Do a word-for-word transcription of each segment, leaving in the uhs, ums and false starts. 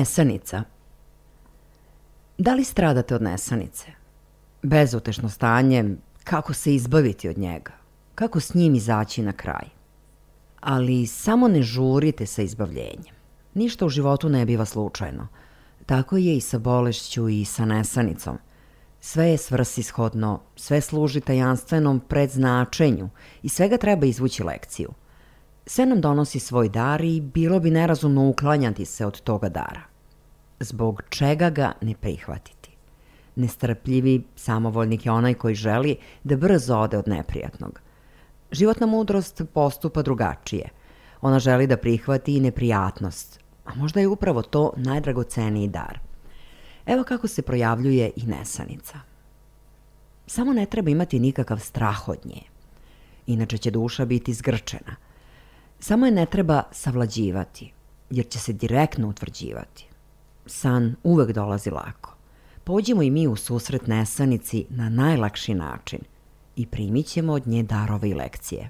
Nesanica. Da li stradate od nesanice? Bezutešno stanje, kako se izbaviti od njega? Kako s njim izaći na kraj? Ali samo ne žurite sa izbavljenjem. Ništa u životu ne biva slučajno. Tako je i sa bolešću i sa nesanicom. Sve je svrsishodno, sve služi tajanstvenom predznačenju i svega treba izvući lekciju. Sve nam donosi svoj dar i bilo bi nerazumno uklanjati se od toga dara. Zbog čega ga ne prihvatiti? Nestrpljivi samovoljnik je onaj koji želi da brzo ode od neprijatnog. Životna mudrost postupa drugačije. Ona želi da prihvati i neprijatnost, a možda je upravo to najdragoceniji dar. Evo kako se projavljuje i nesanica. Samo ne treba imati nikakav strah od nje, inače će duša biti zgrčena. Samo je ne treba savlađivati, jer će se direktno utvrđivati. San uvek dolazi lako. Pođimo i mi u susret nesanici na najlakši način i primit ćemo od nje darove i lekcije.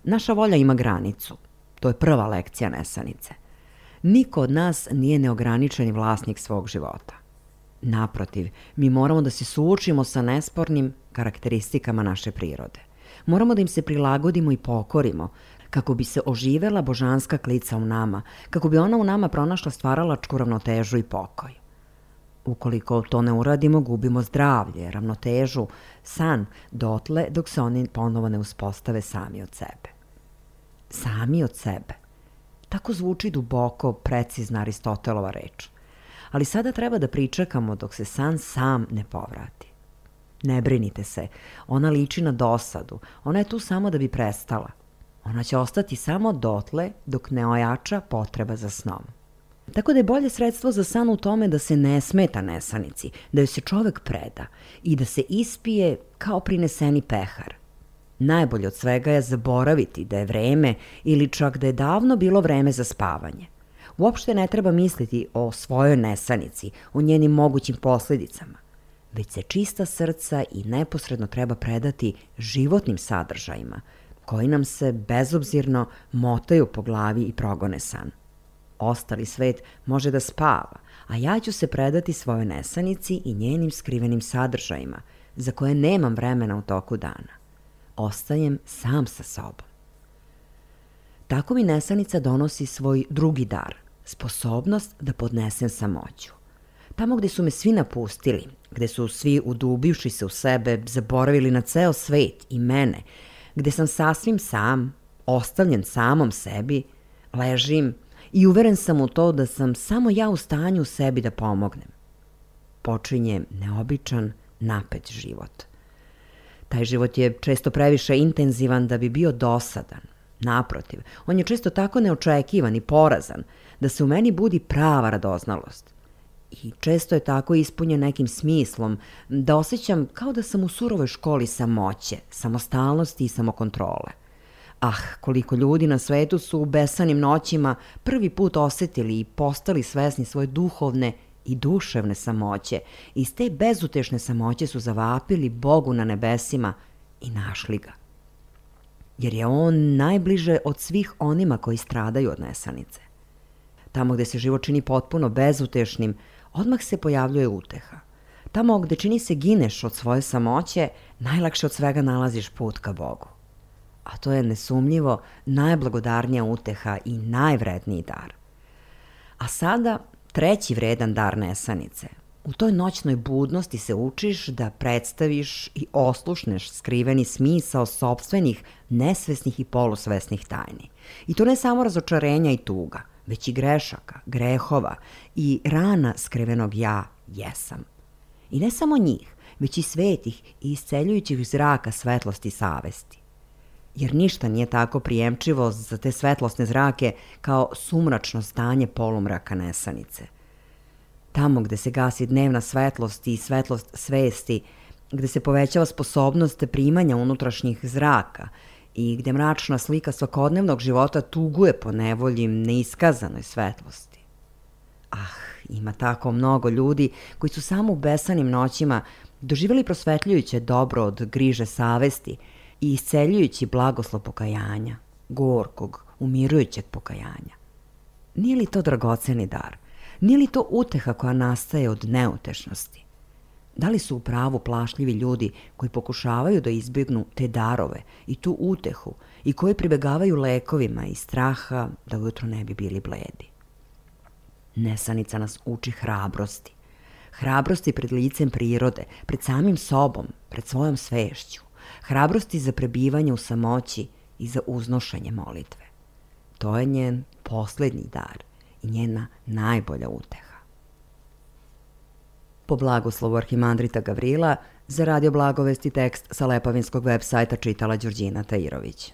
Naša volja ima granicu. To je prva lekcija nesanice. Niko od nas nije neograničeni vlasnik svog života. Naprotiv, mi moramo da se suočimo sa nespornim karakteristikama naše prirode. Moramo da im se prilagodimo i pokorimo, kako bi se oživela božanska klica u nama, kako bi ona u nama pronašla stvaralačku ravnotežu i pokoj. Ukoliko to ne uradimo, gubimo zdravlje, ravnotežu, san, dotle dok se oni ponovo ne uspostave sami od sebe. Sami od sebe. Tako zvuči duboko, precizna Aristotelova reč. Ali sada treba da pričekamo dok se san sam ne povrati. Ne brinite se, ona liči na dosadu, ona je tu samo da bi prestala. Ona će ostati samo dotle dok ne ojača potreba za snom. Tako da je bolje sredstvo za san u tome da se ne smeta nesanici, da joj se čovek preda i da se ispije kao prineseni pehar. Najbolje od svega je zaboraviti da je vreme ili čak da je davno bilo vreme za spavanje. Uopšte ne treba misliti o svojoj nesanici, o njenim mogućim posljedicama, već se čista srca i neposredno treba predati životnim sadržajima koji nam se bezobzirno motaju po glavi i progone san. Ostali svet može da spava, a ja ću se predati svojoj nesanici i njenim skrivenim sadržajima, za koje nemam vremena u toku dana. Ostajem sam sa sobom. Tako mi nesanica donosi svoj drugi dar, sposobnost da podnesem samoću. Tamo gde su me svi napustili, gde su svi udubivši se u sebe, zaboravili na ceo svet i mene, gde sam sasvim sam, ostavljen samom sebi, ležim i uveren sam u to da sam samo ja u stanju sebi da pomognem. Počinje neobičan, napet život. Taj život je često previše intenzivan da bi bio dosadan. Naprotiv, on je često tako neočekivan i porazan da se u meni budi prava radoznalost. I često je tako ispunjen nekim smislom da osjećam kao da sam u surovoj školi samoće, samostalnosti i samokontrole. Ah, koliko ljudi na svetu su u besanim noćima prvi put osetili i postali svesni svoje duhovne i duševne samoće. Iz te bezutešne samoće su zavapili Bogu na nebesima i našli ga. Jer je on najbliže od svih onima koji stradaju od nesanice. Tamo gde se život čini potpuno bezutešnim, odmah se pojavljuje uteha. Tamo gde čini se gineš od svoje samoće, najlakše od svega nalaziš put ka Bogu. A to je nesumnjivo najblagodarnija uteha i najvredniji dar. A sada treći vredan dar nesanice. U toj noćnoj budnosti se učiš da predstaviš i oslušneš skriveni smisao sopstvenih, nesvesnih i polusvesnih tajni. I to ne samo razočarenja i tuga, već i grešaka, grehova i rana skrivenog ja jesam. I ne samo njih, već i svetih i isceljujućih zraka svetlosti savesti. Jer ništa nije tako prijemčivo za te svetlosne zrake kao sumračno stanje polumraka nesanice. Tamo gde se gasi dnevna svetlost i svetlost svesti, gde se povećava sposobnost primanja unutrašnjih zraka i gde mračna slika svakodnevnog života tuguje po nevolji neiskazanoj svetlosti. Ah, ima tako mnogo ljudi koji su samo u besanim noćima doživjeli prosvetljujuće dobro od griže savesti i isceljujući blagoslov pokajanja, gorkog, umirujućeg pokajanja. Nije li to dragoceni dar? Nije li to uteha koja nastaje od neutešnosti? Da li su u pravu plašljivi ljudi koji pokušavaju da izbjegnu te darove i tu utehu i koji pribegavaju lekovima iz straha da ujutro ne bi bili bledi? Nesanica nas uči hrabrosti. Hrabrosti pred licem prirode, pred samim sobom, pred svojom svešću. Hrabrosti za prebivanje u samoći i za uznošenje molitve. To je njen poslednji dar i njena najbolja uteha. Po blagoslovu arhimandrita Gavrila, za Radio Blagovesti tekst sa lepavinskog web sajta čitala Đurđina Tajirović.